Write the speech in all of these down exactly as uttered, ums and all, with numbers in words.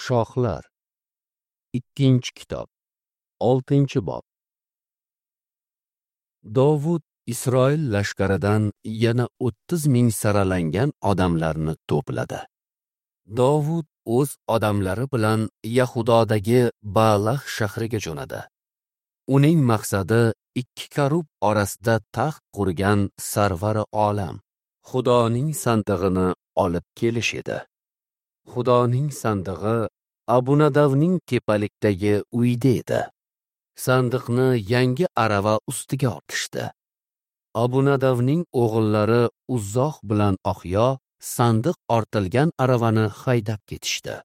Shohlar. Ikkinchi kitob. Oltinchi bob. Dovud Isroil lashkaridan yana o'ttiz ming saralangan odamlarni to'pladi. Dovud o'z odamlari bilan Yahudodagi Baalah shahriga jo'nadi. Uning maqsadi ikki karub orasida taxt qurgan Sarvari olam, Xudoning sandig'ini olib kelish edi. Xudoning sandig'i Abunadavning tepalikdagi uyida edi. Sandiqni yangi arava ustiga ortishdi. Abunadavning o'g'illari Uzzoh bilan Oxyo sandiq ortilgan aravani haydab ketishdi.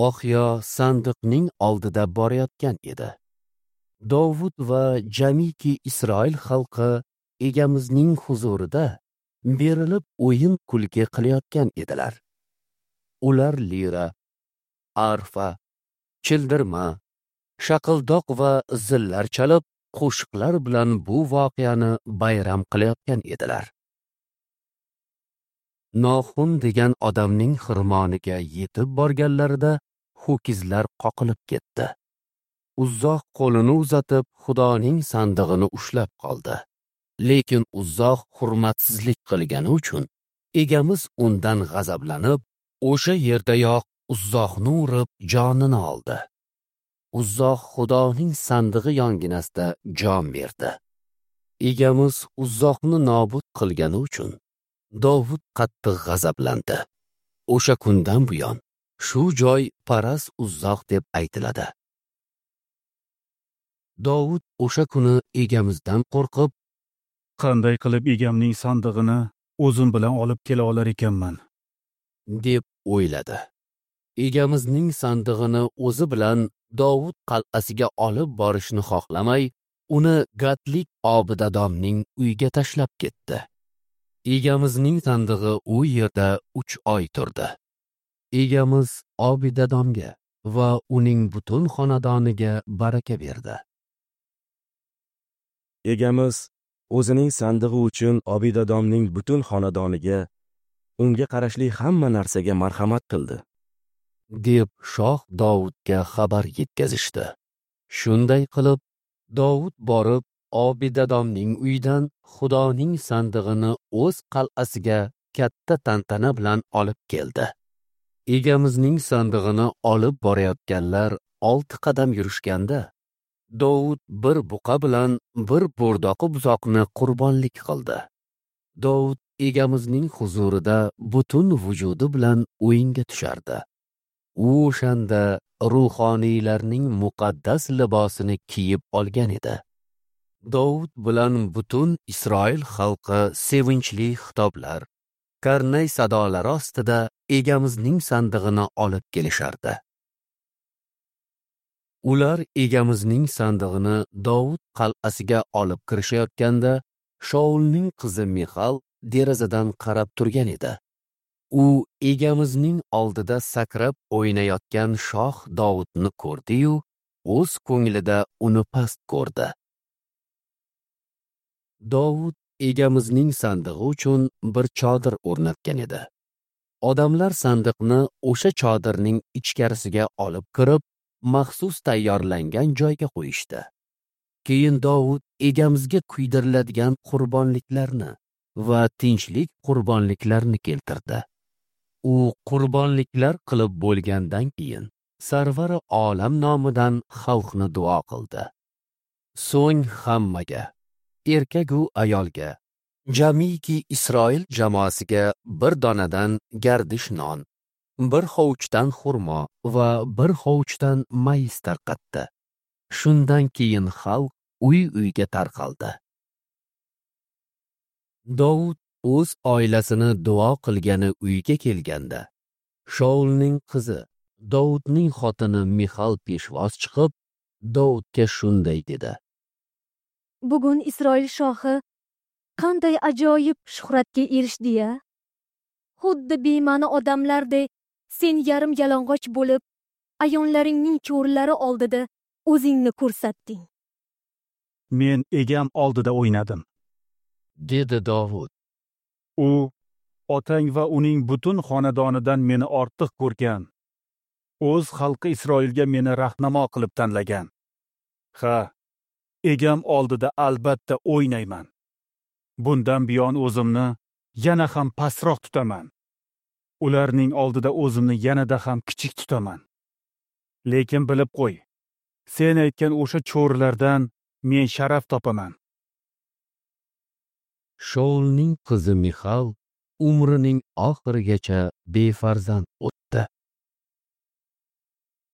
Oxyo sandiqning oldida borayotgan edi. Dovud va jamiki Isroil xalqi Egamizning huzurida berilib o'yin kulgi qilayotgan edilar. Ular lira, arfa, childirma, shaqildoq va zillar chalib, qo'shiqlar bilan bu voqeani bayram qilayotgan edilar. Noxun degan odamning xirmoniga yetib borganlarida ho'kizlar qoqilib ketdi. Uzzoh qo'lini uzatib, Xudoning sandig'ini ushlab qoldi. Lekin Uzzoh hurmatsizlik qilgani uchun Egamiz undan g'azablanib, o'sha yerdayoq Uzzohni urib jonini oldi. Uzzoh Xudoning sandig'i yonginasida jon berdi. Egamiz Uzzohni nobud qilgani uchun Dovud qattiq g'azablandi. O'sha kundan buyon shu joy Paras Uzzoh deb aytiladi. Dovud o'sha kuni Egamizdan qo'rqib, qanday qilib egamning sandig'ini o'zim bilan olib kela olar ekanman, deb o'yladi. Egamizning sandig'ini o'zi bilan Dovud qal'asiga olib borishni xohlamay, uni Gatlik Obidadomning uyiga tashlab ketdi. Egamizning sandig'i u yerda uch oy turdi. Egamiz Obidadomga va uning butun xonadoniga baraka berdi. Egamiz o'zining sandig'i uchun Obidadomning butun xonadoniga, unga qarashli hamma narsaga marhamat qildi, deb shoh Dovudga xabar yetkazishdi. Shunday qilib, Dovud borib Obidadomning uyidan Xudoning sandig'ini o'z qal'asiga katta tantana bilan olib keldi. Egamizning sandig'ini olib borayotganlar olti qadam yurishganda, Dovud bir buqa bilan bir bo'rdoqi buzoqni qurbonlik qildi. Dovud Egamizning huzurida butun vujudi bilan o'yinga tushardi. U o'shanda ruhoniylarning muqaddas libosini kiyib olgan edi. Dovud bilan butun Isroil xalqi sevinchli xitoblar, karnay sadolari ostida Egamizning sandig'ini olib kelishardi. Ular Egamizning sandig'ini Dovud qal'asiga olib kirishayotganda, Shaulning qizi Mixal derazadan qarab turgan edi. U Egamizning oldida sakrab o'ynayotgan shoh Dovudni ko'rdi-yu, o'z ko'nglida uni past ko'rdi. Dovud Egamizning sandig'i uchun bir chodir o'rnatgan edi. Odamlar sandiqni o'sha chodirning ichkarisiga olib kirib, maxsus tayyorlangan joyga qo'yishdi. Keyin Dovud Egamizga kuydiriladigan qurbonliklarni va tinchlik qurbonliklarini keltirdi. U qurbonliklar qilib bo'lgandan keyin Sarvari olam nomidan xalqni duo qildi. So'ng hammaga, erkak-u ayolga, jamiki Isroil jamoasiga bir donadan gardish non, bir hovuchdan xurmo va bir hovuchdan mayiz tarqatdi. Shundan keyin xalq uy-uyga tarqaldi. Dovud o'z oilasini duo qilgani uyga kelganda, Shaulning qizi, Dovudning xotini Mixal peshvoz chiqib, Dovudga shunday dedi: Bugun Isroil shohi qanday ajoyib shuhratga erishdi-ya! Xuddi bema'ni odamlardek sen yarim yalang'och bo'lib, ayonlaringning cho'rilari oldida o'zingni ko'rsatding. Men egam oldida o'ynadim, dedi Dovud. U otang va uning butun xonadonidan meni ortiq ko'rgan. O'z xalqi Isroilga meni rahnamo qilib tanlagan. Ha, egam oldida albatta o'ynayman. Bundan buyon o'zimni yana ham pastroq tutaman. Ularning oldida o'zimni yanada ham kichik tutaman. Lekin bilib qo'y, sen aytgan o'sha cho'rilardan men sharaf topaman. Shaulning qizi Mixal umrining oxirigacha befarzand o'tdi.